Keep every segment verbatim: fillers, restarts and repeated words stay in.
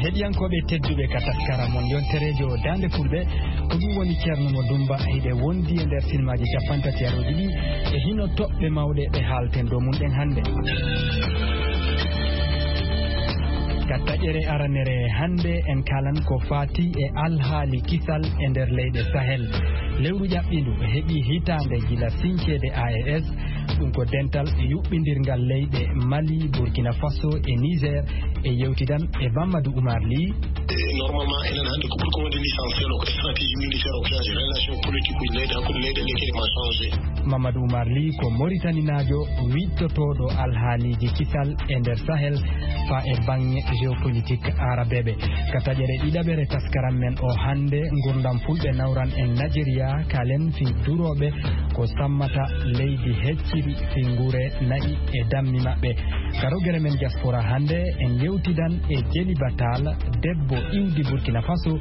Heɗiyankooɓe tedduɓe, ka taskara mon yontereejo Daande Fulɓe, ko ɗum woni Ceerno Mo Dumba. Hiɗe wondi e nder silmaaji cappanɗe tati arooji ɗi, e hino toɓɓe mawɗe ɗe haalten dow mum ɗen hannde. Ka taƴere aranere hannde, en kaalan ko faati e alhaali kisal e nder leyɗe Sahel. Lewru ƴaɓɓindu heɓi hitaande gila sinceede A E S, ɗum ko dental yuɓɓindirngal leyɗe Mali, Burkina Faso e Niger, e yewtidan e Mamadou Oumar Ly. Normalement, enen hannde ko ɓuri ko wonde l'essentiel o, ko stratégie militaire o, ko relation politique uji leyɗe hakkunde leyɗe ɗe kadi ma changé. Mamadou Oumar Ly ko Moritaninaajo wiɗtotooɗo alhaaliiji kisal e nder Sahel, faa e baŋŋe géopolitique aarabeeɓe. Ka taƴere ɗiɗaɓere taskaram men o hannde, ngurdam Fulɓe nawran en Nigeria, kaalen fii durooɓe ko sammata leydi hecciri fii nguure na'i e dammi maɓɓe. Ka rogere men diaspora hannde, en yewtidan e Jeliba Tall, debbo iwdi Burkina Faso,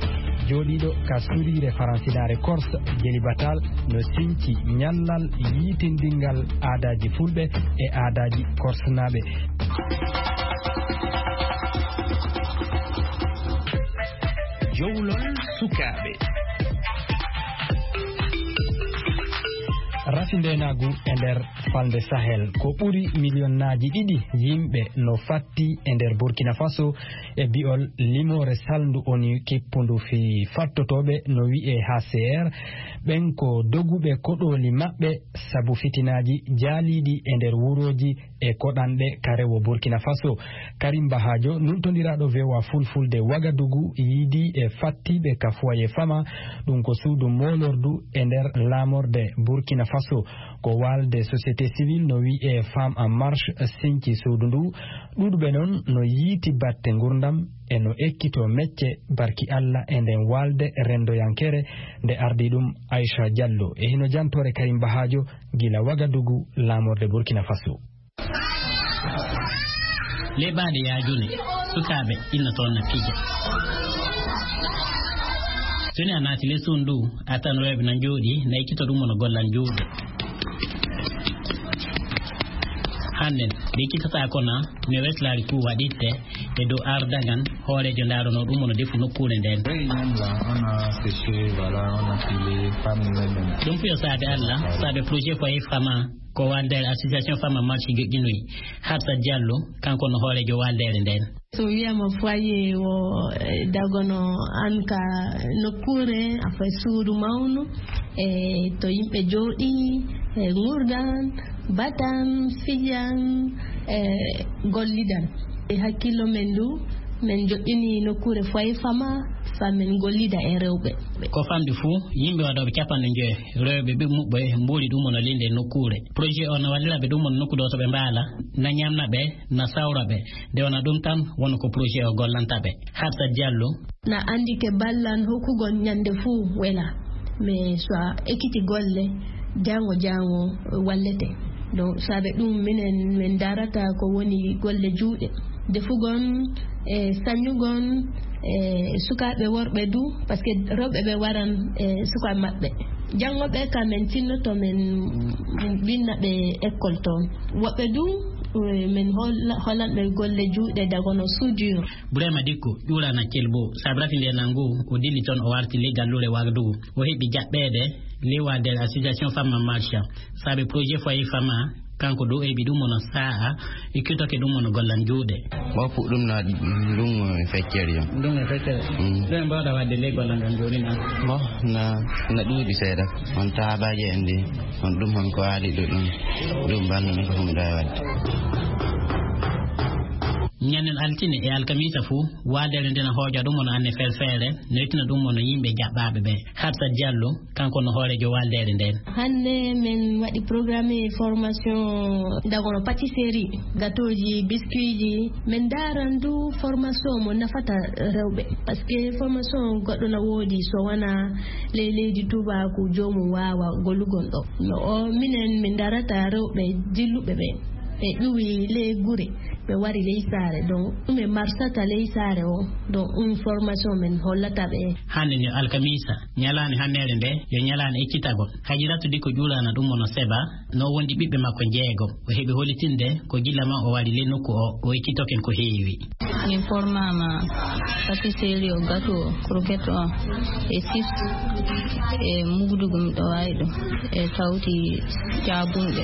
jooɗiiɗo ka suriire faransinaare Corse. Jeliba Tall no sinci ñallal yiitindingal aadaaji Fulɓe e aadaaji Korsenaaɓe. Jowlol sukaaɓe. Rafi ndeenaagu e nder falnde Sahel, ko ɓuri miliyonnaaji ɗiɗi yimɓe no fatti e nder Burkina Faso, e bi'ol limoore salndu ONU kippundu fii fattotooɓe, no wi'ee H C R. Ɓen ko doguɓe koɗooli maɓɓe sabu fitinaaji jaaliiɗi e nder wurooji e koɗanɗe ka rewo Burkina Faso. Karim Bahajo, nultondiraaɗo V O A Fulfulde Wagadugu, yiidii e fattiiɓe ka Foyer Fama, ɗum ko suudu moolordu e nder laamorde Burkina Faso. Ko waalde société civile no wi'ee Femmes en Marche sinci suudu ndu. Ɗuuɗuɓe non no yiiti batte ngurdam e no ekkitoo mecce barki Alla e nden waalde renndoyankere, nde ardii ɗum Aisha Diallo. E hino jantoore Karim Bahajo gila Wagadugu, laamorde Burkina Faso. Ley baade yaajune, sukaaɓe inna toon na pija. So ni a naati ley suudu ndu, a tan rewɓe na njooɗii, na ekkito ɗum no gollan juuɗe. Hannden, ɓe ekkitotaako na, mi weslaali kuu waɗitte e dow ardagan hooreejo ndaaronoo ɗum no defu nokkuure ndeen. Oui, même là, on a séché, voilà, on a filé, pas nous-mêmes. Ɗum fiyo saabe Alla, saabe projet Foyer Fama, ko waalde association Fama Marche joƴƴinoyi. Hafsa Diallo, kanko no hooreejo waaldeere ndeen. So wiyaama foyer o, eh, dagono an ka nokkuure, a fay suudu mawnu, e to yimɓe jooɗii, e ngurdan, batan, fijan, e gollidan. E hakkillo men ndu, men joɗɗini nokkuure Foyer Fama, fa men gollida e rewɓe. Ko famɗi fuu, yimɓe waɗooɓe capanɗe njoyo, rewɓe ɓe muɓɓe mbooli ɗum no linde nokkuure. Projet o no wallira ɓe ɗum no nokku ɗo to ɓe mbaala, na ñamna ɓe, na sawra ɓe. Nde wona ɗum tan, woni ko projet o gollanta ɓe. Hafsa Diallo. Na anndi ke ballan hokkugol ñande fuu wela. Mais so a ekkiti golle, jaango jaango wallete. Donc, saabe ɗum minen min darata ko woni golle juuɗe. Defugon, e sañugon, e sukaaɓe worɓe du, parce que rewɓe ɓe waran, e sukaaɓe maɓɓe. Janngo ɓe ka men tinnoto men winna ɓe école toon. Woɓɓe du, e men holla-, hollan ɓe golle juuɗe dagono soudure. Burema Dikko, ƴuurana Kelbo, saabe rafi nde nangu, o dilli toon o warti ley galluure Wagadugu. O heɓi jaɓɓeede ley waadere association Femme en Marche. Saabe projet Foyer Fama, kanko dow heɓi ɗum wona sa'a, e kitoke ɗum wona gollan juuɗe. Bon, pour ɗum na ɗum feccere yo. Ɗum e feccere. Mm. Ɗum en mbawɗa waɗde ley gollal ngal jooni na? Bon, na, na ɗuuɗi seeɗa. On taabaaji en ɗi, on ɗum hon ko aali ɗo ɗum. Ɗum ballo ɗum ko ɗum ɗo e waɗde. Ñannen altine e alkamisa fuu, waadere nden hooƴa ɗum wona anne ferfeere, noytina ɗum wona yimɓe jaɓɓaaɓe ɓe. Hafsa Diallo, kanko no hooreejo waaldeere nden. Hannde men waɗi programme formation dagono pâtisserie, gâteauji, biscuitji. Men daaran du formation mo nafata rewɓe. Parce que formation goɗɗo na woodi so wona ley leydi tubaaku joomum waawa gollugol ɗo. No o minen min darata rewɓe dilluɓe ɓe. Ɓe ƴuwi ley gure, ɓe wari ley saare. Donc, ɗum e marsata ley saare o. Donc, ɗum formation men hollata ɓe. Hannde ni alkamisa, ñalaande hanndeere nde, yo ñalaande ekkitagol. Hajiratu Dikko ƴuurana ɗum wona Seba, no wondi ɓiɓɓe makko jeego. O heɓi holitinde ko gila ma o wari ley nokku o, o ekkitoken ko heewi. Min pormaama patisserie o, gato o, croquette o, e chips, e mugdugu miɗo waawi ɗum, e tawti caabunɗe,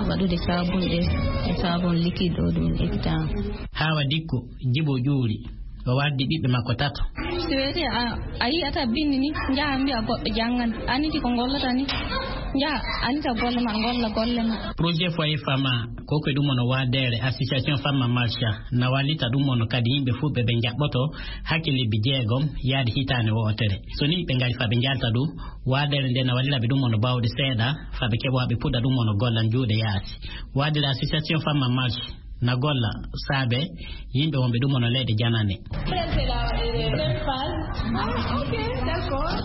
waɗude caabunɗe e saabon liquide o ɗum ittaama. Haawa Dikko, Jibo Ƴuuri, o wardi ɓiɓɓe makko tato. Si weeti a, a yiyata binndi ni, njaha mbiya goɗɗo janngan, aniti ko ngollata ni, njaha anita golle ma, ngolla golle ma. Projet Foyer Fama, ko ko ɗum on o waadeere Association Fama Marcha, na wallita ɗum on kadi yimɓe fuɗɓe ɓe njaɓɓoto hakke lebbi jeegom yaade hitaande wootere. So ni ɓe ngari fa ɓe njalta ɗum, waadeere nde na wallira ɓe ɗum on bawɗe seeɗa, fa ɓe keɓa ɓe puɗɗa ɗum on golla juuɗe yaasi. Waadeere Association Fama Marcha, na golla saabe yimɓe wonɓe ɗum on leyɗe janane.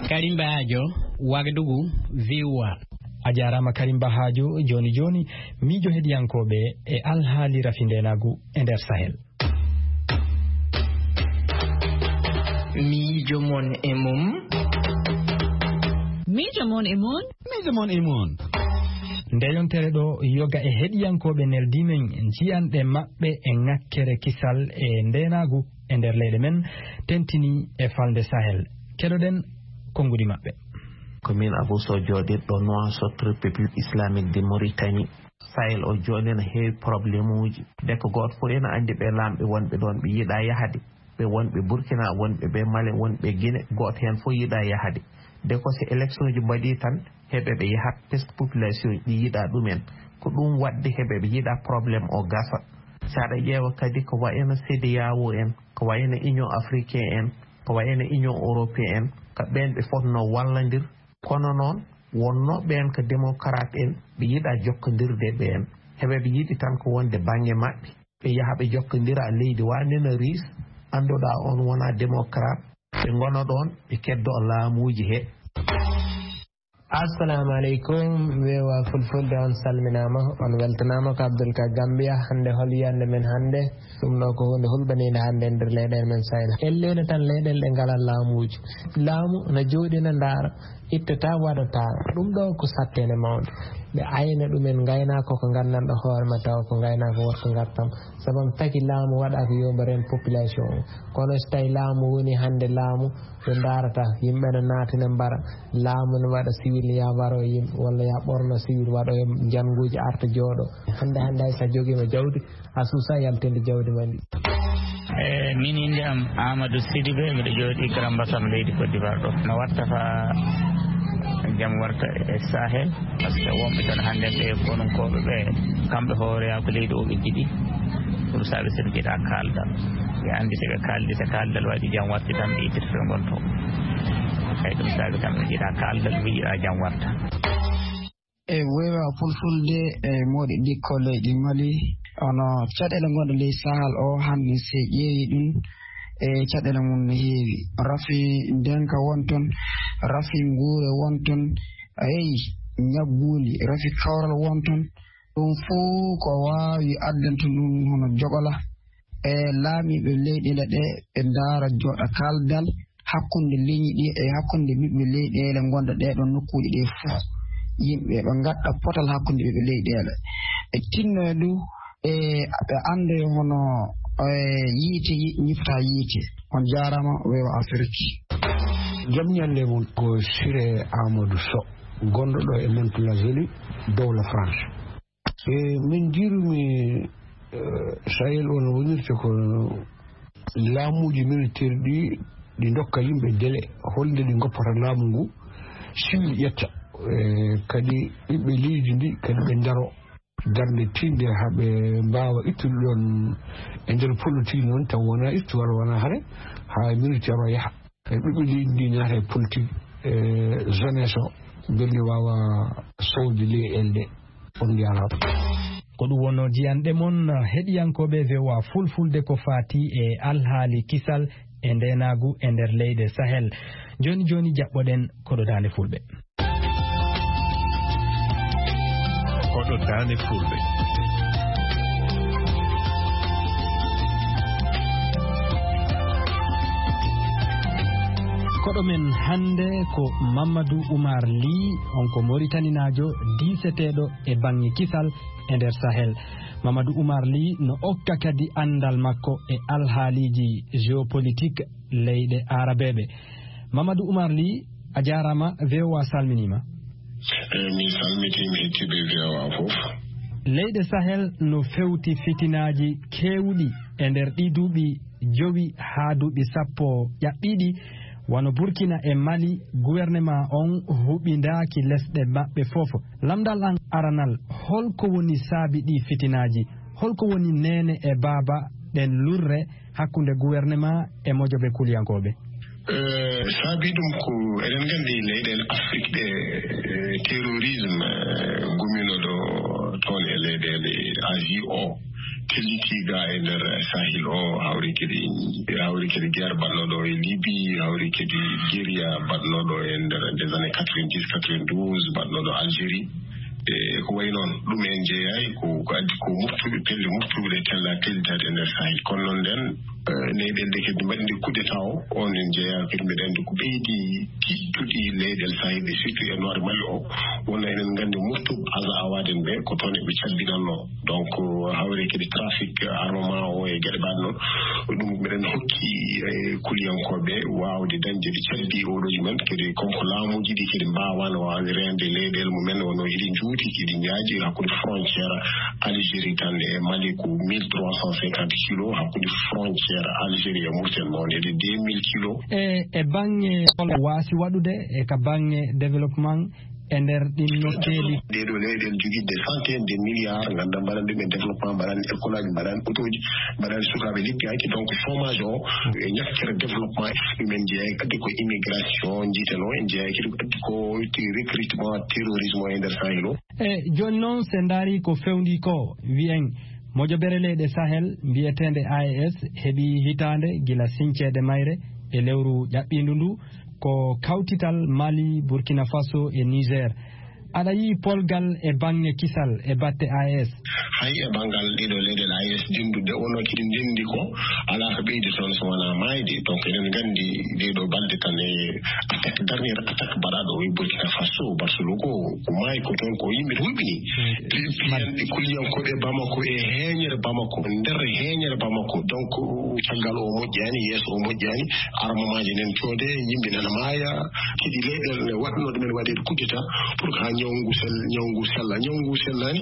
Karimba Ajo, Wagadugu, V O A. A jaaraama Karimba Ajo. Jooni jooni, miijo heɗiyankooɓe e alhaali rafi ndeenaagu e nder Sahel. Miijo mon e mum. Miijo mon e mum. Miijo mon e mum. Nde yontere ɗo yoga e heɗiyankooɓe neldi men njiyanɗe maɓɓe e ŋakkere kisal e ndeenaagu e nder leyɗe men, tentini e falnde Sahel. Keɗoɗen konngudi maɓɓe. Ko min Abou Sow jooɗirɗo Nouakchott, République Islamique de Mauritanie. Sahel o jooni ene heewi problème uji. Nde ko gooto fof ene anndi ɓe laamɓe wonɓe ɗoon, ɓe yiɗaa yahde. Ɓe wonɓe Burkina, wonɓe ɓe Mali, wonɓe Guinée, gooto heen fof yiɗaa yahde. Nde ko so élection ji mbaɗii tan, heɓe ɓe yahat, parce que population ji ɗi yiɗaa ɗumen. Ko ɗum waɗde heɓe ɓe yiɗaa problème o gasa. So aɗa ƴeewa kadi ko wayno CEDEAO en, ko wayno Union Africaine en, ko wayno Union Européenne en, ko ɓeen ɓe fotnoo wallandir. Kono noon, wonnoo ɓeen ko démocrate en, ɓe yiɗaa jokkondirde ɓeen. Heɓe ɓe yiɗi tan ko wonde bannge maɓɓe. Ɓe yaha ɓe jokkondira leydi wa nena Riis, annduɗaa on wonaa démocrate. Ɓe ngona ɗoon, ɓe keddo laamuuji he. Assalamu aleykum, V O A Fulfulde, on salminaama, on weltanaama. Ko Abdoul Ka Gambia. Hannde hol yiyannde men hannde? Ɗum ɗo ko huunde hulɓaniinde hannde e nder leyɗeele men Sahel. Elleende tan leyɗeele ɗe ngalaa laamuuji. Laamu na jooɗii na ndaara, ittataa, waɗataa. Ɗum ɗo ko satteende mawnde. Ɓe ayna ɗumen ngaynaaka ko nganndanɗo hoore ma tawa ko ngaynaaka worko ngartam. Sabu taki laamu waɗaaka yo mbo reen population o. Kono so tawi laamu woni hannde laamu, ɓe ndaarata, yimɓe ne naatina mbara, laamu ne waɗa civil ya waro e yimɓe, walla ya ɓorno civil waɗo e njannguuji arta jooɗo. Hannde, hannde hay so a jogiima jawdi, a suusa yaltinde jawdi ma ndi. E, min innde am Amadou Sidibé, miɗo jooɗi Grand Bassam leydi Côte d'Ivoire ɗo. No watta fa jam warta e Sahel, parce que wonɓe tan hannde ɓe konunkooɓe ɓe, kamɓe hooreyaa ko leydi o ɓe njiɗi. Ɗum saabi so ɓe njiɗaa kaaldal. Ɓe anndi so ɓe kaaldi, so kaaldal waɗi jam watti tan ɓe ittita to ngon to. Eyi, ɗum saabi kamɓe njiɗaa kaaldal, ɓe njiɗaa jam warta. E weewa fulfulde e moɗi dikko leydi Mali, ono caɗeele ngonɗe ley Sahel o hannde, se ƴeewi ɗum, e caɗeele mum no heewi. Rafi ndenka won toon, rafi nguure won toon, eyi, ñagguuli, rafi kawral won toon. Ɗum fof ko waawi addanta ɗum hono jogola e laamiiɓe leyɗeele ɗe, ɓe ndaara jooɗa kaaldal hakkunde leñi ɗi e hakkunde ɓiɓɓe leyɗeele ngonɗe ɗee ɗoon nokkuuji ɗee fof. Yimɓe ɓe ngadda potal hakkunde ɓiɓɓe leyɗeele. Ɓe tinno e ɗum, e ɓe annda yo hono, e, yiite yi-, ñifta yiite. On jaaraama, weewa Afirki. Jam ñalle mon, ko Siré Amadou Sow, gonɗo ɗo e Mantes-la-Jolie, dowla France. E, min njiirumi, e, Sahel o no wonirta ko laamuuji militaire ɗi, ɗi ndokka yimɓe délai, holnde ɗi ngoppata laamu ngu, civil ƴetta, e, kadi ɓiɓɓe leydi ndi, kadi ɓe ndaro darnde tiiɗnde haa ɓe mbaawa ittude ɗoon e nder politique noon, taw wonaa ittu walla wonaa hare, haa militaire o yaha. E ɓiɓɓe leydi ndi naata e politique, e jeunesse o, mbele waawa sowde leyɗeele ɗe. On njaaraama. Ko ɗum wonnoo jiyanɗe mon, heɗiyankooɓe V O A Fulfulde, ko faati e alhaali kisal e ndeenaagu e nder leyɗe Sahel. Jooni jooni jaɓɓoɗen koɗo Daande Fulɓe. Koɗo Daande Fulɓe. Koɗo men hannde ko Mamadou Oumar Ly, on ko Moritaninaajo diiseteeɗo e baŋŋe kisal e nder Sahel. Mamadou Oumar Ly no okka kadi anndal makko e alhaaliiji géopolitique leyɗe aarabeeɓe. Mamadou Oumar Ly, a jaaraama, V O A salminiima. Eh, mi salmitii mi hettii ɓe V O A fof. Leyɗe Sahel no fewti fitinaaji keewɗi e nder ɗii duuɓi jowi haa duuɓi sappo ƴaɓɓiiɗi, wano Burkina e Mali, gouvernement on huɓindaaki lesɗe maɓɓe fof. Lamndal an aranal, holko woni saabi ɗii fitinaaji? Holko woni neene e baaba ɗen lurre hakkunde gouvernement e mojobe kuliyankooɓe? Eh, saabi ɗum ko eɗen nganndi leyɗeele Afrik ɗe, eh, terrorisme, eh, gumino ɗo toon e leyɗeele Asie o, telliti ga e nder Sahel o, hawri kadi, hawri kadi guerre baɗɗo ɗo e Libye, hawri kadi guérilla baɗɗo ɗo e nder des années quatre-vingt-dix, quatre-vingt-douze, baɗɗo ɗo Algérie. E ko wayi noon, ɗum en jeeyaay ko, ko addi ko moftuɓe, pelle moftuɓe ɗe tella tellitaade e nder Sahel. Kono noon nden, eh, leyɗeele ɗe kadi mbaɗi nde coup d'État o, on en jeeyaa kadi mbiɗa anndi ko ɓeydi tiiɗtude leyɗeele Sahel ɗe, surtout e Nord Mali o. Wonno eɗen nganndi moftuɓe Aza Awaden ɓe, ko toon eɓe cabbinannoo. Donc, hawri kadi trafic armement o e geɗe mbaɗe noon. Ɗum mbiɗen hokki, eh, kuliyankooɓe waawde dañde ɓe cabbi oɗo mumen kadi, comme ko laamuuji ɗi kadi mbaawaano waawde reende leyɗeele mumen, wonno hiɗi njuuti, hiɗi njaaji hakkunde frontière Algérie tan e Mali ko mille trois cent cinquante kilos, hakkunde frontière Algérie e Mauritanie mawni e deux mille kilos. E, e baŋŋe hol waasi waɗude e ka baŋŋe développement e nder ɗin nokkeeli? Ɗee ɗoo leyɗeele jogiiɗe des centaines de milliards, nganndaa mbaɗan ɗum e développement, mbaɗan école aji, mbaɗan autoji, mbaɗan sukaaɓe leppi hakke. Donc, chômage o e ñakkere développement, ɗum en jeeyaay kadi ko immigration, njiiten o en jeeyaay kadi ko addi ko recrutement terrorisme o e nder Sahel o. E jooni noon, so en ndaarii ko fewndii ko, wiyen mojobere leyɗe Sahel mbiyeteende A E S heɓii hitaande gila sinceede mayre e lewru ƴaɓɓiindu ndu, ko kawtital Mali, Burkina Faso e Niger. Aɗa yi'i polgal e baŋŋe kisal e batte A E S? Hay e banngal ɗiɗo leyɗeele A E S dinduɗe, wonno kadi ndenndi ko alaa ko ɓeydi toon so wonaa maayde. Donc, eɗen nganndi ɗee ɗoo balɗe tan e attaque, dernière attaque mbaɗaaɗo o e Burkina Faso, Barcelone ko, ko maayi ko toon ko yimɓe hulɓini. Pi-, piyanɗe kuliyankooɓe Bamako e heeñere Bamako, nder heeñere Bamako. Donc, caggal o moƴƴaani, yeeso o moƴƴaani, armamaaji nen coode, yimɓe nana maaya, kadi leyɗeele ne waɗno ɗumen waɗeede coup d'État pour que haa ñawngu sel-, ñawngu sella. Ñawngu sellaani,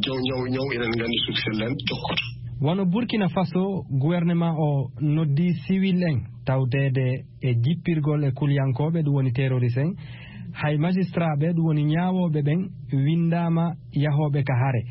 ñaw, ñaw, ñaw eɗen nganndi so sellaani, jokkoto. Wano Burkina Faso, gouvernement o noddi siwil en tawdeede e jippirgol e kuliyankooɓe, ɗum woni terroriste en. Hay magistrat ɓe, ɗum woni ñaawooɓe ɓen, winndaama yahooɓe ka hare.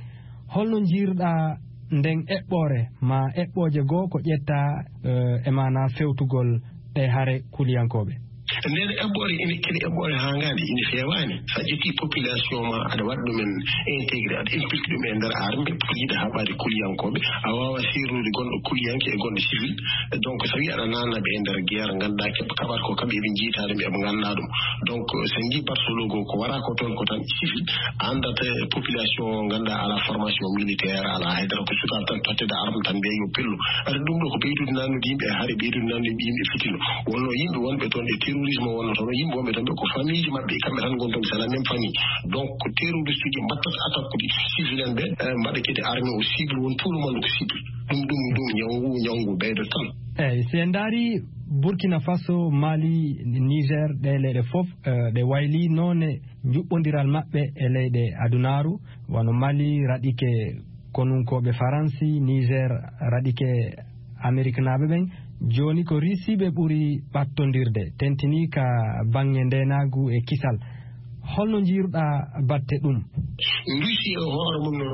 Holno njiirɗaa nden eɓɓoore, ma eɓɓooje goo ko ƴettaa, eh, e maanaa fewtugol ɗee hare kuliyankooɓe? Nden eɓɓoore ine, kene eɓɓoore haa ngaande ine feewaani. So a ƴetti population ma, aɗa waɗa ɗumen intégré, aɗa impliqué ɗum e nder armée, pour yiɗa haɓaade kuliyankooɓe. A waawaa seernude gonɗo kuliyanke e gonɗo civil. Donc, so a wii aɗa naatna ɓe e nder guerre, nganndaa keɓ-, kaɓata ko kamɓe eɓe njiytaa ɗum, eɓe nganndaa ɗum. Donc, so a njii Barcelone goo, ko wara ko toon ko tan civil, a anndat, eh, population, nganndaa alaa formation militaire, alaa haydara, ko sukaaɓe tan totteede arme tan mbiya yo pello. Aɗa ɗum ɗo ko ɓeydude naatnude yimɓe e hare, ɓeydude naatnude yimɓe fitino. Wonno yimɓe wonɓe toon e terrorisme wonno toon, yimɓe wonɓe toon ɓe ko famille ji maɓɓe, kamɓe tan ngoni toon, c'est la même famille. Donc, ko terroriste uji mbattata attaque uji civil en ɓe, eh, mbaɗa kadi armée o cible, won tout le monde ko cible. Ɗum, ɗum, ɗum, ñawngu, ñawngu ɓeydo tan. Eeyi, si en ndaarii Burkina Faso, Mali, Niger, ɗee leyɗe fof, eh, ɗe waylii noone njuɓɓondiral maɓɓe e leyɗe adunaaru, wano Mali raɗike konunkooɓe Faransi, Niger raɗike Ameriknaaɓe ɓen. Jooni ko Riisiiɓe ɓuri ɓattondirde, tentinii ka baŋŋe ndeenaagu e kisal. Holno njiiruɗaa batte ɗum? Rusi e hoore mum no,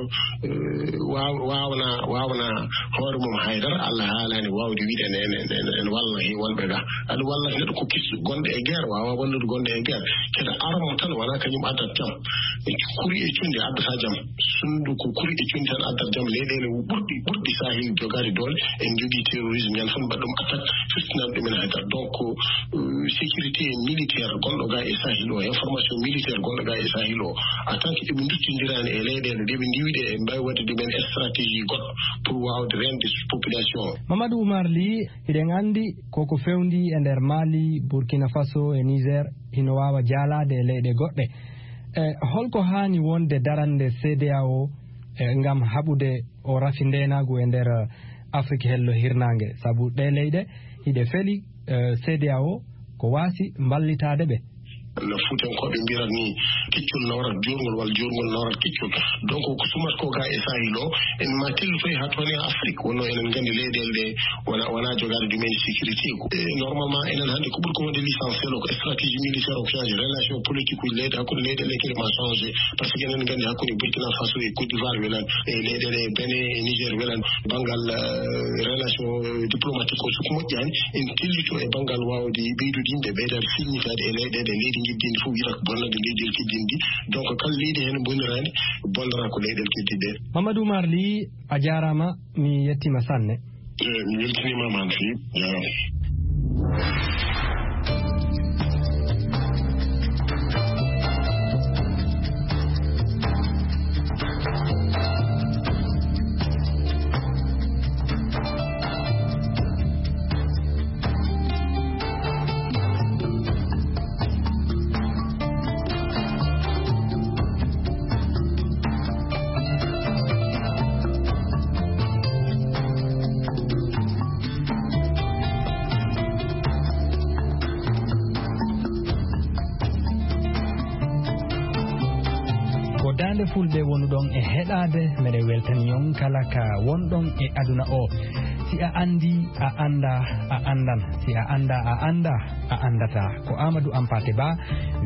eh, waaw-, waawna, waawna hoore mum haydara. Allah haalaani waawde wiide ene, ene, ene, ene walla he wonɓe ga. Aɗa walla neɗɗo ko kis gonɗo e guerre, waawa wallude gonɗo e guerre. Kede armo tan wona kañum addat jam. E kuri e cunde addata jam. Sundu ko kuri e cunde tan addat jam. Leyɗeele ɓurɗi, ɓurɗi sahil jogaade doole, en jogii terrorisme, ñande fof mbaɗa ɗum attaque, firtinan ɗumen haydara. Donc, euh, sécurité militaire gonɗo ga e sahil o, information militaire gonɗo ga e sahil o, en tant que eɓe Cindiraani e leyɗeele ɗe ɓe ndiwi ɗe, en mbaawi waɗde ɗumen stratégie goɗɗo pour waawde reende population o. Mamadou Oumar Ly, hiɗen anndi koko fewndi e nder Mali, Burkina Faso e Niger, hino waawa jaalaade e leyɗe goɗɗe. E holko haani wonde darande C D A O, e, ngam haɓude o rafi ndeenaagu e nder, eh, Afrik hello hirnaange? Sabu ɗe leyɗe hiɗe feli, eh, C D A O ko waasi mballitaade ɓe. No Fuutankooɓe mbiyata ni, keccol nawrat juurngol walla juurngol nawrat keccol. Donc, ko sumat ko ga e Sahel o, en ma tellutoy haa toon e Afrik. Wonno enen nganndi leyɗeele ɗe wona, wona jogaade ɗumen sécurité ko. E, normalement, enen hannde ko ɓuri ko wonde l'essentiel o, ko stratégie militaire o changé, relation politique uji leyɗe, hakkunde leyɗeele kadi ma changé. Par ce que enen nganndi hakkunde Burkina Faso e Côte d'Ivoire welan, e leyɗeele Benin e Niger welan, banngal, eh, relation, eh, diplomatique o soko moƴƴaani, en tellito e banngal waawde ɓeydude yimɓe, ɓeydaade filñitaade e leyɗeele, leydi ngiddindi fof wiyata ko bonnande leydi el kiddindi. Donc, kala leydi heen boniraani, bonnora ko leyɗeele keddiɗe. Mamadou Oumar Ly, a jaaraama, mi yettiima sanne. Eh, mi weltiniima ma no feewi. Jaaraama. Ko Daande Fulɓe wonuɗon e heɗaade, meɗen weltani on kala ka wonɗon e aduna o. Si a anndi, a annda, a anndan. Si a annda, a annda, a anndata. Ko Amadou Hampâté Bâ,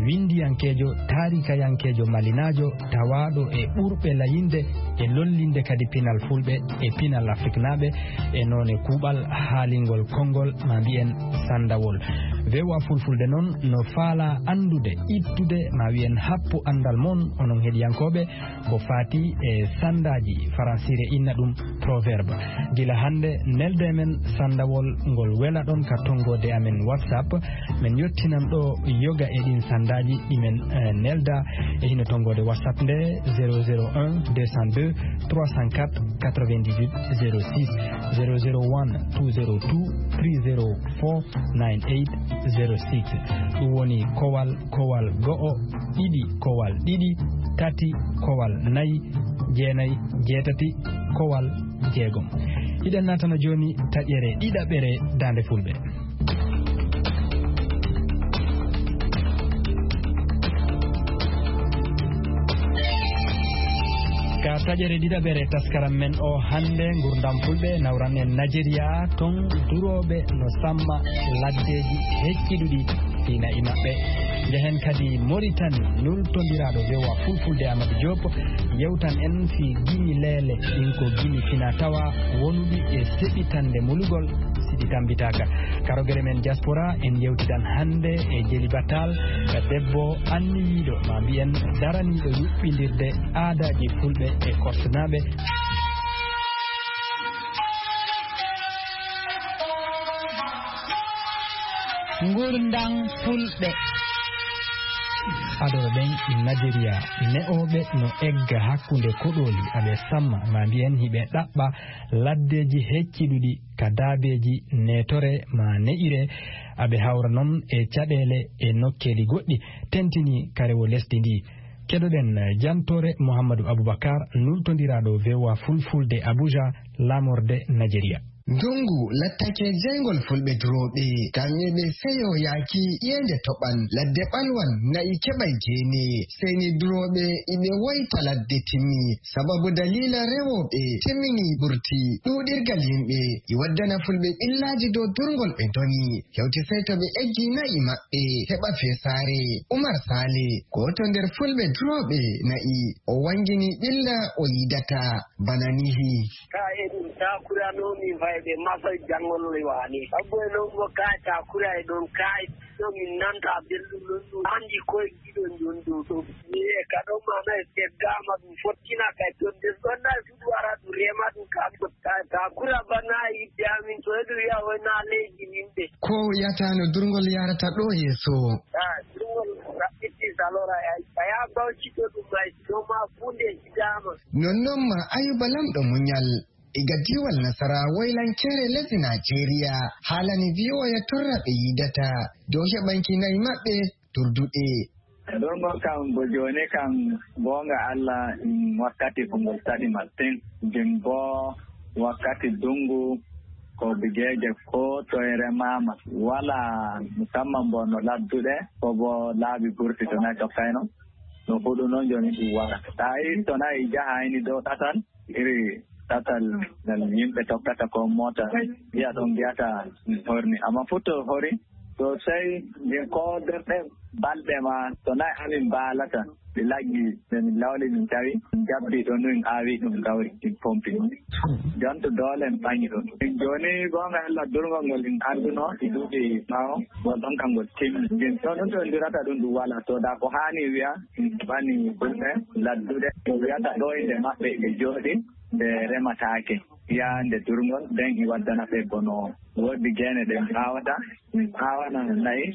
winndiyankeejo, taarikayankeejo malinaajo, tawaaɗo e ɓurɓe layinde e lollinde kadi pinal Fulɓe e pinal Afriknaaɓe e noone kuuɓal haalingol konngol, ma mbiyen sanndawol. V O A Fulfulde noon no faalaa anndude, ittude, ma wiyen happu anndal mon, onon heɗiyankooɓe, ko faati e sanndaaji, faransiire inna ɗum proverbe. Gila hannde, nelde men sanndawol ngol welaɗon ka tonngoode amen WhatsApp. Men yottinan ɗo yoga e ɗin sanndaaji ɗi men, eh, nelda e hino tonngoode WhatsApp nde, zéro zéro un deux cent deux trois cent quatre quatre-vingt-dix-huit zéro six, zéro zéro one two zéro two three zéro four nine eight zéro six. Ɗum woni kowal, kowal go'o, ɗiɗi, kowal ɗiɗi, tati, kowal nayi, jeenayi, jeetati, kowal jeegom. Hiɗen naatana jooni taƴere ɗiɗaɓere Daande Fulɓe. Ka taƴere ɗiɗaɓere taskaram men o hannde, ngurdam Fulɓe nawran en Najeriya, ton durooɓe no samma laddeeji hecciɗuɗi fii na'i maɓɓe. Njehen kadi Moritani, nultondiraaɗo V O A Fulfulde Amadou Diop, yewtan en fii gimi leele, ɗin ko gimi fina tawa wonuɗi e seɓitande mulugol si ɗi tambitaaka. Ka rogere men diaspora, en yewtidan hannde e Jeli Batal, debbo anniyiiɗo, ma mbiyen daraniiɗo yuɓɓindirde aadaaji Fulɓe e Korsenaaɓe. Ngurndan Fulɓe. Adoro ɗen Najeriya, ne'ooɓe no egga hakkunde koɗooli, aɓe samma, ma mbiyen hiɓe ɗaɓɓa laddeeji hecciɗuɗi ka daabeeji neetore ma ne'ire, aɓe hawra non e caɗeele e nokkeeli goɗɗi, tentini ka rewo lesdi ndi. Keɗoɗen jantoore Mouhamadou Aboubacar, nultondiraaɗo V O A Fulfulde Abuja, laamorde Najeriya. Ndongu lattake jeyngol Fulɓe durooɓe, kam eɓe seyo yaaki ƴeende toɓan, ladde ɓalwan, na'i keɓay jeene. Seyni durooɓe iɓe woyta ladde timmi, sababu daliila rewooɓe timmini ɓurti. Ɗuuɗirgal yimɓe i waddana Fulɓe ɓillaaji dow durngol ɓe ndoni. Hewti sey to ɓe eggi na'i maɓɓe heɓa feesaare. Umar Saale, gooto nder Fulɓe durooɓe na'i, o wangini ɓilla o yidata bana nihi. Ka e ɗum takurano min fayɓe masa janngol waane. Abbo e non mo ka takura e ɗon ka e ɗo min nanta belɗum ɗon ɗum. Andi koye giɗo ɗon ɗo ɗo. Mi e ka ɗon mana e seddama ɗum fottina kay to des ɗon na suɗu ara ɗum rema ɗum ka ta, takura bana yidde amin to e ɗum wiya o na leydi min ɓe. Ko yatano durngol yarata ɗo yeeso. Ah, durngol raɓɓiti Talora e a yaha bawcito ɗum may ɗo ma funde hitaama. Nonnon ma Ayuba Lamɗo Muñal, iga diiwal Nasara woylankeere lesdi Najeriya, haalani V O A torra ɓe yiidata dow heɓanki nayi maɓɓe turduɗe. Ɗon ɗo kam bo jooni kam, goonga Allah, ɗum wakkati ko ngol saɗi masin. Ngin bo wakkati dungu, ko bigeeje ko toye remaama. Wala musamman bo no ladduɗe, ko bo laabi burti to nayi tokkayno. No huɗu noon jooni ɗum wara. Tawi to nayi jahayni dow ɗatal, iri ɗatal ngal yimɓe tokkata ko moota, yiya ɗon mbiyata ɗum horni. Amma fof to hori, to sey min ko nder ɗe balɗe ma, to nayi amin mbaalata, ɗi laggi, nde min lawli min tawi, min jabbi ɗo nun aawi ɗum gawri, ɗin pompi. Jonto doolen ɓaŋi ɗum. Min jooni goonga Allah durngol ngol min arduno, ɗi duuɓi ɓaawo, ngol ɗon kam ngol timmi. Min to nun to ndirata ɗum ɗum wala, to da ko haani wiya, min ɓani fulɓe ladduɗe, ko wiyata ɗo inde maɓɓe ɓe jooɗi, ɓe remataake. Yaa nde durngol, nden i waddana ɓe bono woodde geene ɗe mi aawata, mi aawana nayi,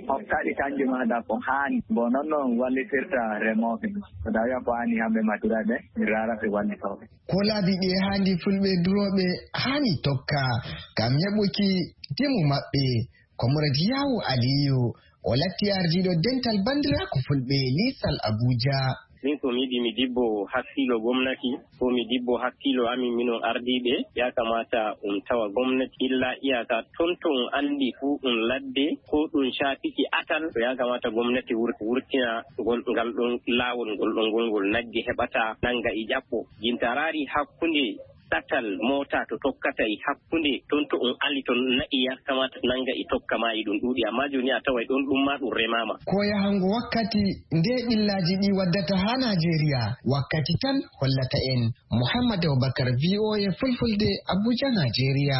hokkaɗi kanji ma da ko haani. Bo non non wallitirta remooɓe. Ko da wiya ko haani hamɓe maturaaɓe, mi raara ɓe wallitooɓe. Ko laabi ɗi e haandi fulɓe durooɓe haani tokka, ngam heɓuki dimu maɓɓe. Comrade Yawu Aliyu, o latti ardiiɗo dental banndiraaku fulɓe liisal Abuja. Min ko mi yiɗi mi dibbo hakkiilo gomnati, ko mi dibbo hakkiilo amin minon ardiiɓe, ya kamata um tawa gomnati illa iyaka ton to um anndi fu ɗum ladde, ko ɗum caatiki atal, to ya kamata gomnati wur-, wurtina ngol, ngal ɗon laawol ngol ɗon ngol ngol nagge heɓata nanga e ƴaɓɓo. Jintarari hakkunde ɗatal moota to tokkata e hakkunde ton to on ali ton na'i ya kamata nanga e tokka ma e ɗum ɗuuɗi, amma jooni a taway ɗon ɗum ma ɗum remaama. Ko yahango wakkati nde ɓillaaji ɗi waddata haa Najeriya, wakkati tan hollata en. Muhammad Abubakar, V O A Fulfulde, Abuja, Najeriya.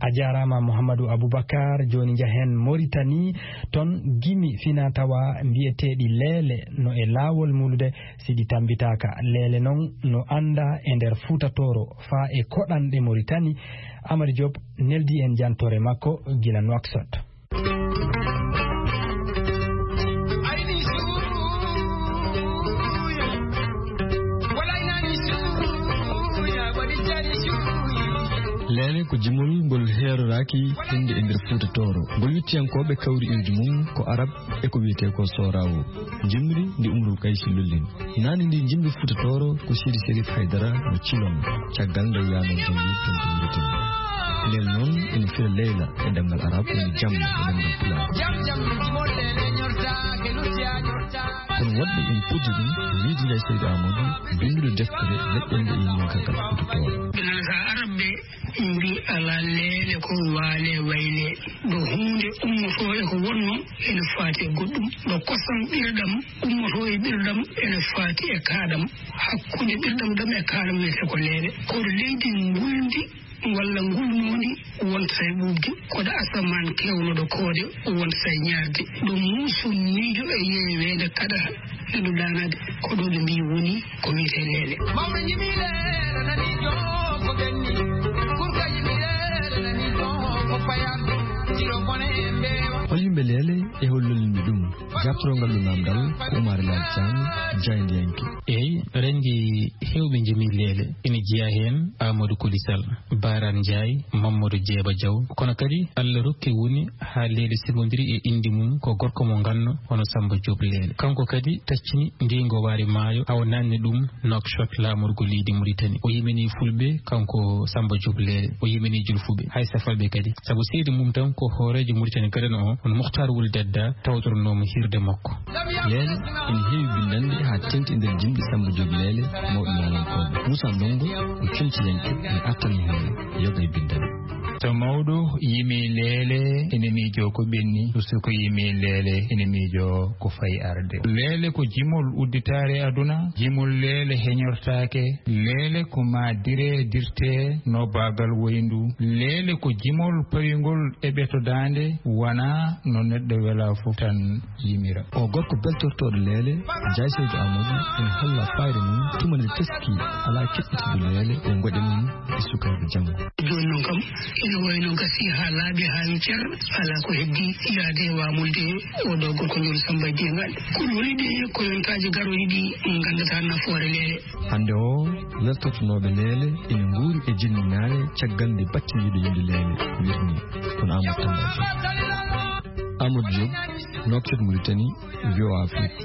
A jaaraama, Muhammadu Abubakar. Jooni njahen Moritani, ton gimi finaa-tawaa mbiyeteeɗi leele no e laawol mulude, si ɗi tammbitaaka. Leele non no anndaa e nder Fuuta Tooro, faa e koɗanɗe Moritani. Amari Joop neldi en jantoore makko gila Nouakchott. Leele ko jimol ngol heeroraaki hende e nder Fuuta Tooro. Ngol wittiyankooɓe kawri iwdi mum ko Arab e ko wiyetee ko Soorawo. Jimri ndi Umrul Kaysi lollini. Naane ndi jimri Fuuta Tooro ko Sidi Serif Haydara mo Cilon, caggal nde yaano jimri ton to Mauritanie. Leel noon ina fira leyla e ɗemngal Arab, woni jam e ɗemngal Pulaar. Kono woɗɓe ina puddi ɗum, ko Wiidi Lay Seydi Aamadu, binnduɗo deftere leƴƴannde e yimɓe caggal Fuuta Tooro. Ɓe nanata Arab ɓe mbi alaa leele ko waale wayle. Ɗo huunde ummotoo e ko wonnoo ene faati e goɗɗum. Ɗo kosam ɓirɗam ummotoo e ɓirɗam ene faati e kaaɗam. Hakkunde ɓirɗam ɗam e kaaɗam wiyetee ko leele. Ko ɗo leydi ngulndi walla ngulnoondi wontata e ɓuuɓde. Ko ɗo asamaan keewnuɗo koode wontata e ñaarde. Ɗo muuso miijo e yeeweende kaɗata. Ɓe ɗum ɗaanaade ko ɗo ɓe mbii woni ko wiyetee leele. Mawɓe njimi leele nani joo ko ɓenni. Kurka njimi leele nani joo ko payanɗo. Jiro bone e mbeewa. Hol yimɓe leele e hol lollinɓe ɗum? Jaaɓtorongal ɗum naamndal ko Umaar Laal Caam, jaayndiyanke. Eey, renndi heewɓe njimi leele. Ina jeyaa heen Amadou Koli Sall, Baaraan Njaay, Mammadu Jeeba Jaw. Kono kadi Allah rokki woni haa leele sibondiri e innde mum ko gorko mo nganno hono Sammba Joob Leele. Kanko kadi taccini ndii ngowaari maayo, awa naatni ɗum Nouakchott, laamorgo leydi Mauritanie. O yimini fulɓe, kanko Sammba Joob Leele. O yimini julfuɓe, hay safalɓe kadi. Sabu seydi mum tan ko hooreejo Mauritanie gadano o, hono Mukhtar Wul Dadda, tawtoronoomo hiirde makko. Leele ina heewi binndannde haa teeŋti e nder jimɗi Sammba Joob Leele, mawɗo naalankooɓe. Moussa Ndongo ko comciyanke, ina artani heen yoga e binndannde. So mawɗo yimi leele, ene miijoo ko ɓenni, so ko yimi leele, ene miijoo ko fayi arde. Leele ko jimol udditaare aduna, jimol leele heñortaake, leele ko maa diree dirtee no baagal woyndu, leele ko jimol pawingol e ɓeto daande, wonaa no neɗɗo welaa fof tan yimira. O gorko beltortooɗo leele, Njaay Seydi Aamadu, ene holla fayre mum tuma nde teski alaa keɓɓitidde leele e ngoɗe mum e sukaaɓe janngo. Jooni noon Kam ina wayno gasi haa laaɓi, haa wi cer, alaa ko heddi yaade waamulde o ɗo gorko Njool Samba Jeeŋaani. Ko woni ɗe ko yontaaji garooji ɗi nganndataa nafoore leele. Hannde o, weltotonooɓe leele ina nguuri e jinminaare caggal nde battiniiɗo yimde leele wirni. Kono Amadou Tamba Diop. Amadou Diop, Nouakchott, Mauritanie, V O A Afrique.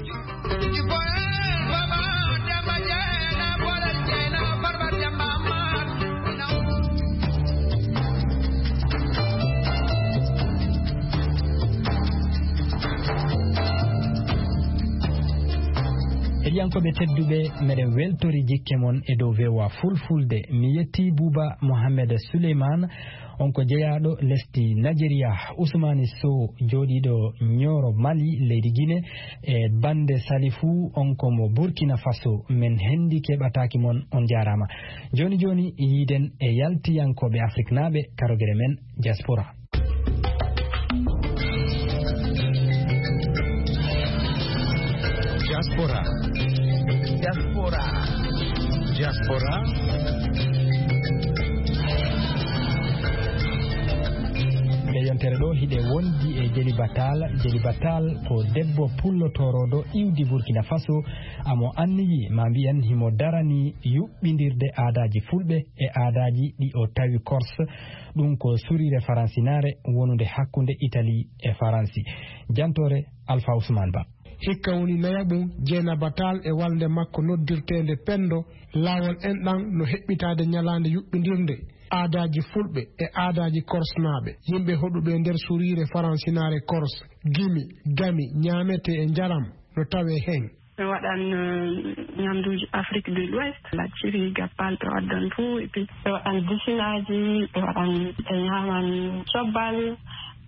Heɗiyankooɓe tedduɓe, meɗen weltori jikke mon e dow V O A Fulfulde. Mi yetti Buuba Mohamed Suleyman, on ko jeyaaɗo lesdi Najeriya. Usmani Sow, jooɗiiɗo Ñooro Mali, leydi Gine, e bannde Salifu, on ko mo Burkina Faso. Men henndi keɓataaki mon, on njaaraama. Jooni jooni, yiiden e yaltiyankooɓe Afriknaaɓe, karogere men Diaspora. Diaspora. Diaspora. Diaspora. Nde yontere ɗo hiɗe wondi e Jeli Batal. Jeli Batal ko debbo pullo toroɗo iwdi Burkina Faso. Amo anniyi, ma mbiyen, himo darani yuɓɓindirde aadaaji Fulɓe e aadaaji ɗi o tawi Corse. Ɗum ko surire faransinaare wonunde hakkunde Italie e Faransi. Jantore Alpha Ousmane Ba. Hikka woni nayaɓum Jeynaba Tall e walnde makko noddirteende Pendo, laawol enɗan no heɓɓitaade ñalaande yuɓɓindirnde aadaaji Fulɓe e aadaaji Korsnaaɓe, yimɓe hoɗuɓe e nder suriire faransinaare Kors, gimi, gami, ñaametee e njaram no tawee heen. Ɓe waɗan, eh, ñamduuji Afrique de l'Ouest, lacciri, gappal, ɓe waddan fuu, et puis ɓe waɗan disinaaji, ɓe waɗan, ɓe ñaaman cobbal,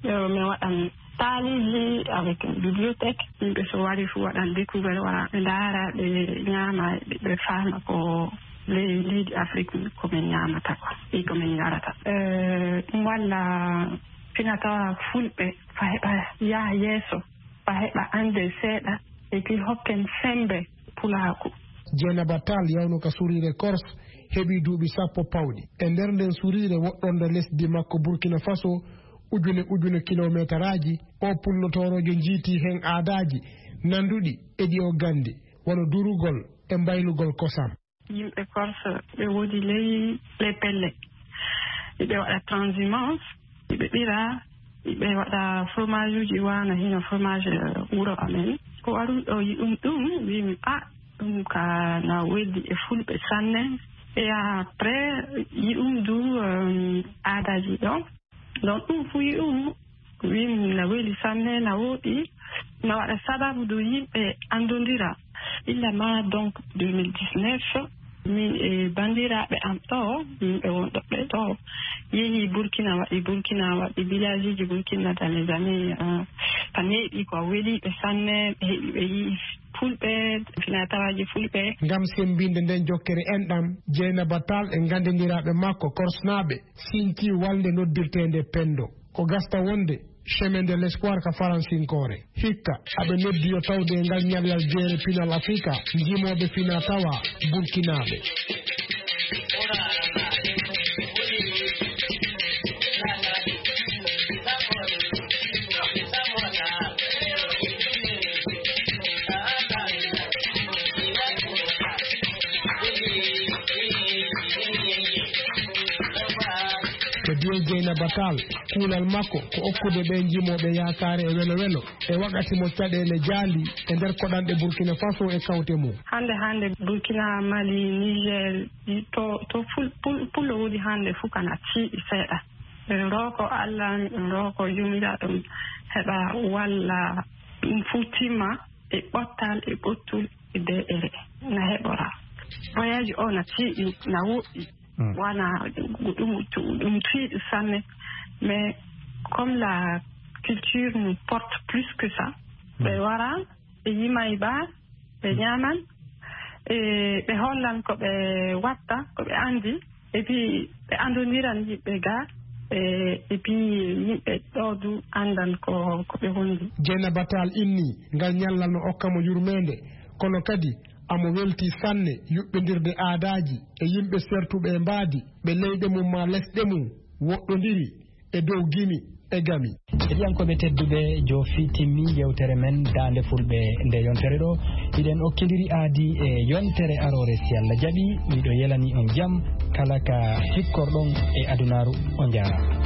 ɓe, ɓe waɗan taaliiji avec une bibliothèque. Yimɓe so wari fuu waɗan découvert, wara ɓe ndaara, ɓe ñaama, ɓe, ɓe faama ko le-, leydi Afrique ko min ñaamata ko, e ko min njarata. Eh, ɗum walla fina tawa Fulɓe fa heɓa yaha yeeso, fa heɓa annde seeɗa, e ki hokken semmbe pulaaku. Jeynaba Tall yawno ka suriire Kors heɓi duuɓi sappo pawɗi. E nder nden suriire woɗɗonde lesdi makko Burkina Faso, ujune ujune kilomeetaraaji, o pullotooroojo jiiti heen aadaaji nanduɗi e ɗi o ganndi, wano durugol e mbaylugol kosam. Yimɓe Korse ɓe woodi ley les pelle. Ɓe waɗa transhumance, ɓe ɓira, ɓe waɗa fromage uji waana hino fromage, eh, wuro amen. Ko waru ɗo yi'um ɗum, wi'mi, "Ah, ɗum ka na weldi e Fulɓe sanne." Et après, yi'um du, eh, aadaaji ɗo. Donc, ɗum fu yi'um, wi'um na weli sanne, na woɗi, na waɗa sababu du yimɓe anndondira. Illa ma, donc, deux mille dix-neuf, min e banndiraaɓe am ɗo, yimɓe wonɗo ɓe ɗo, yehi Burkina, waɗi Burkina, waɗi village uji Burkina dans les années, euh, ka neeɓi ko weli ɓe sanne, ɓe heɓi ɓe yi'i Fulɓe, fina tawaaji Fulɓe. Ngam semmbinde nden jokkere enɗam, Jeynaba Tall e ganndindiraaɓe makko Korsnaaɓe sinci walnde noddirteende Pendo. Ko gasta wonde Chemin de l'Espoir ka faransinkoore. Hikka, aɓe noddi yo tawde e ngal ñallal jeere pinal Afrika, njimooɓe fina tawa Burkinaaɓe. Ko Dieng Jeynaba Tall, kuulal makko ko okkude ɓe njimooɓe yaakaare e welo welo, e wakati mo caɗeele jaali e nder koɗanɗe Burkina Faso e kawte mum. Hannde, hannde Burkina, Mali, Niger, to, to ful-, pul-, pullo woni hannde fuu kana tiiɗi seeɗa. Min rooko Allah, min rooko yumira ɗum heɓa walla ɗum fuu timma e ɓottal, e ɓottul, e deeƴere na heɓora. Voyage o na tiiɗi, na woɗɗi. Mm. Wana ɗum, ɗum tiiɗi sanne. Mais comme la culture nous porte plus que ça, ɓe wara, ɓe yimay ba, ɓe ñaaman, e ɓe hollan ko ɓe watta, ko ɓe anndi, et puis ɓe anndondiran yimɓe ga, e, et puis yimɓe ɗo du anndan ko, ko ɓe wondi. Jeynaba Tall inni ngal ñallal no okka mo yurmeende, kono kadi amo welti sanne yuɓɓindirde aadaaji e yimɓe sertuɓe e mbaadi, ɓe leyɗe mum maa lesɗe mum, Woɗɗondiri e dow gimi e gami. Heɗiyankooɓe tedduɓe, jo fii timmi yewtere men Daande Fulɓe nde yontere ɗo. Hiɗen okkindiri aadi e yontere aroore, si Allah jaɓi. Miɗo yelani on jam kala ka sikkorɗon e adunaaru. On jaaraama.